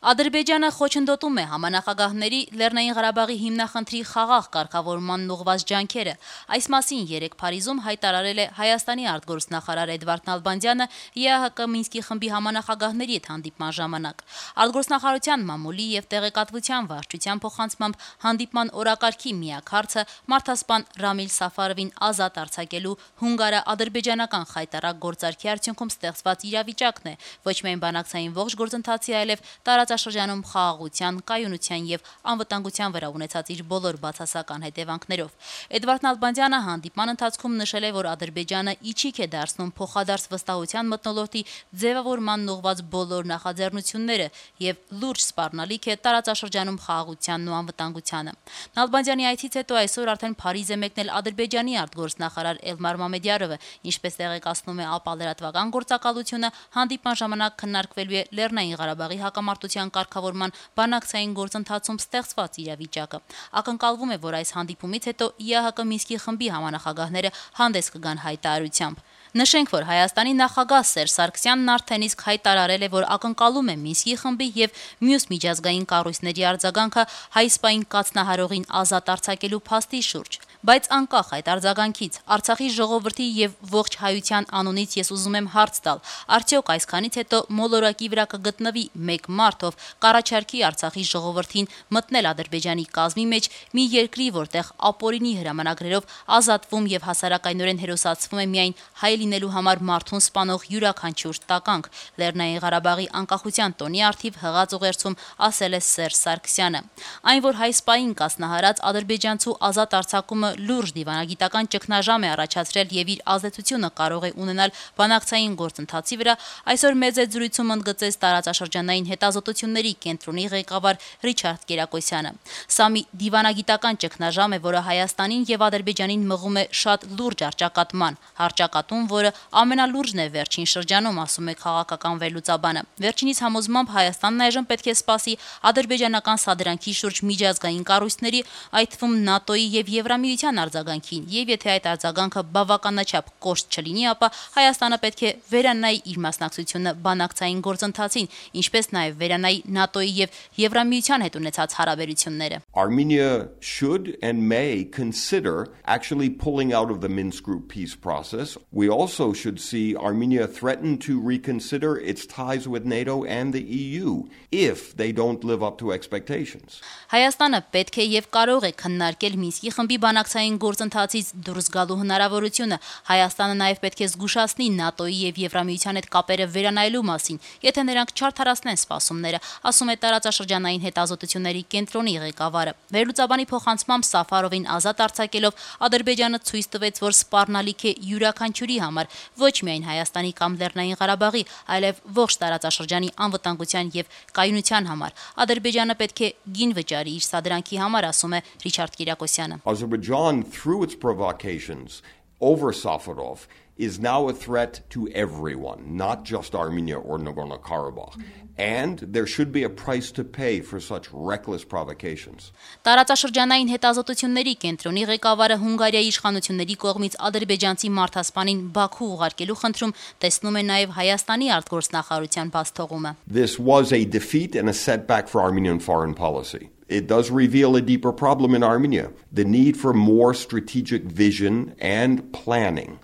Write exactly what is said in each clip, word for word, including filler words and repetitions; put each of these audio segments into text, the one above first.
Ադրբեջանը խոչընդոտում է համանախագահների Լեռնային Ղարաբաղի հիմնախնդրի խաղաղ կարգավորմանն ուղղված ջանքերը։ Այս մասին երեկ Փարիզում հայտարարել է Հայաստանի արտգործնախարար Էդվարդ Նալբանդյանը ԵԱՀԿ Մինսկի խմբի համանախագահների հետ հանդիպման ժամանակ։ Արտգործնախարարության մամուլի եւ տեղեկատվության վարչության փոխանցմամբ հանդիպման օրակարգի միակ հարցը մարդասպան Ռամիլ Սաֆարովին ազատ արձակելու հունգարա-ադրբեջանական խայտառակ գործարքի արդյունքում ստեղծված իրավիճակն է, ոչ միայն բանակցային ողջ գործընթացի, այլև տարածաշրջանում խաղաղության, կայունության եւ անվտանգության վրա ունեցած իր բոլոր բացասական հետևանքներով։ Էդվարդ Նալբանդյանը հանդիպման ընթացքում նշել է, որ Ադրբեջանը իջիկ է դարձնում փոխադարձ վստահության մթնոլորտի ձևավորման ուղղված բոլոր նախաձեռնությունները եւ լուրջ սպառնալիք է տարածաշրջանում խաղաղությանն ու անվտանգությանը։ Նալբանդյանի այցից հետո այսօր արդեն Փարիզ է մեկնել Ադրբեջանի արտգործնախարար Էլմար Մամեդյարովը, ինչպես տեղեկացնում է ԱՊԱ լրատվական գործակալությունը, հանդիպման ժամանակ քննարկվելու է Լեռնային Ղարաբաղի հակամարտության կարգավորման բանակցային գործընթացում ստեղծված իրավիճակը։ Ակնկալվում է, որ այս հանդիպումից հետո ԵԱՀԿ Մինսկի խմբի համանախագահները հանդես կգան հայտարարությամբ։ Նշենք, որ Հայաստանի նախագահ Սերժ Սարգսյանն արդեն իսկ հայտարարել է, որ ակնկալում է Մինսկի խմբի եւ մյուս միջազգային կառույցների արձագանքը հայ-սպային կաթնահարողին ազատ արձակելու փաստի շուրջ։ Բայց անկախ այդ արձագանքից Արցախի ժողովրդի եւ ողջ հայության անունից ես ուզում եմ հարց տալ. արդյոք այսքանից հետո մոլորակի վրա կգտնվի մեկ մարդ, ով կառաջարկի Արցախի ժողովրդին մտնել Ադրբեջանի կազմի մեջ, մի երկրի, որտեղ ապօրինի հրամանագրերով ազատվում եւ հասարակայնորեն հերոսացվում է միայն հայ լինելու համար մարդուն սպանող յուրաքանչյուր տականք։ Լեռնային Ղարաբաղի անկախության տոնի առթիվ հղած ուղերձում ասել է Սերժ Սարգսյանը։ Այն, որ հայ-սպային կասնահարած ադրբեջանցու ազատ արձակումը լուրջ դիվանագիտական ճգնաժամ է առաջացրել եւ իր ազդեցությունը կարող է ունենալ բանակցային գործընթացի վրա, այսօր մեծ է զրույցում ընդգծեց տարածաշրջանային հետազոտությունների կենտրոնի ղեկավար Ռիչարդ Կերակոսյանը։ Սա մի դիվանագիտական ճգնաժամ է, որը Հայաստանին եւ Ադրբեջանին մղում է շատ լուրջ առճակատման, հարճակատում, որը ամենալուրջն է վերջին շրջանում, ասում է քաղաքական վերլուծաբանը։ Վերջինիս համոզմամբ Հայաստանն այժմ պետք է սպասի ադրբեջանական սադրանքի շուրջ միջազգային կառույցների, այդ թվում ՆԱՏՕ-ի եւ Եվրամիության արձագանքին, եւ եթե այդ արձագանքը բավականաչափ կոշտ չլինի, ապա Հայաստանը պետք է վերանայի իր մասնակցությունը բանակցային գործընթացին, ինչպես նաեւ վերանայի ՆԱՏՕ-ի եւ Եվրամիության հետ ունեցած հարաբերությունները։ Armenia should and may consider actually pulling out of the Minsk Group peace process. We also should see Armenia threaten to reconsider its ties with NATO and the E U if they don't live up to expectations. Հայաստանը պետք է եւ կարող է քննարկել Մինսկի խմբի բանակցային գործընթացից դուրս գալու հնարավորությունը։ Հայաստանը նաեւ պետք է զգուշացնի ՆԱՏՕ-ի եւ Եվրամիության հետ կապերը վերանայելու մասին, եթե նրանք չարդարացնեն սպասումները, ասում է տարածաշրջանային հետազոտությունների կենտրոնի ղեկավարը։ Վերլուծաբանի փոխանցմամբ Սաֆարովին ազատ արձակելով Ադրբեջանը ցույց տվեց, որ սպառնալիք է յուրաքանչյուրի համար, ոչ միայն Հայաստանի կամ Լեռնային Ղարաբաղի, այլև ողջ տարածաշրջանի անվտանգության եւ կայունության համար։ Ադրբեջանը պետք է գին վճարի իր սադրանքի համար, ասում է Ռիչարդ Կիրակոսյանը։ Azerbaijan, through its provocations over Safarov, is now a threat to everyone, not just Armenia or Nagorno-Karabakh. And there should be a price to pay for such reckless provocations. Տարածաշրջանային հետազոտությունների կենտրոնի ղեկավարը Հունգարիայի իշխանությունների կողմից ադրբեջանցի մարդասպանին Բաքու ուղարկելու խնդրում տեսնում է նաև Հայաստանի արտգործնախարարության բացթողումը. This was a defeat and a setback for Armenian foreign policy. It does reveal a deeper problem in Armenia, the need for more strategic vision and planning.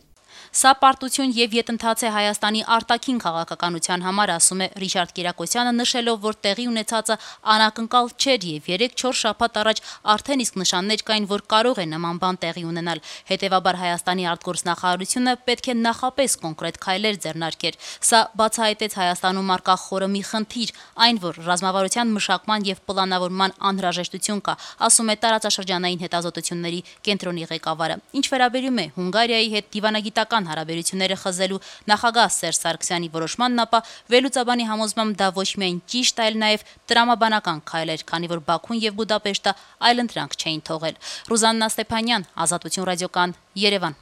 Սա պարտություն եւ յետընթաց է Հայաստանի արտաքին քաղաքականության համար, ասում է Ռիչարդ Կիրակոսյանը, նշելով, որ տեղի ունեցածը անակնկալ չէր եւ երեք-չորս շաբաթ առաջ արդեն իսկ նշաններ կային, որ կարող է նման բան տեղի ունենալ։ Հետևաբար Հայաստանի արտգործնախարարությունը պետք է նախապես կոնկրետ քայլեր ձեռնարկեր։ Սա բացահայտեց Հայաստանում արկա խորը մի խնդիր, այն, որ ռազմավարության մշակման եւ պլանավորման անհրաժեշտություն կա, ասում է տարածաշրջանային հետազոտությունների կենտրոնի ղեկավարը։ Ինչ վերաբերում է Հունգարիայի հետ դիվանագիտական հարաբերությունները խզելու նախագահ Սերժ Սարգսյանի որոշմանն, ապա վերլուծաբանի համոզմամբ դա ոչ միայն ճիշտ, այլ նաև տրամաբանական քայլ էր, քանի որ Բաքուն եւ Բուդապեշտը այլընտրանք չէին թողել։ Ռուզաննա Ստեփանյան, Ազատություն ռադիոկան, Երևան։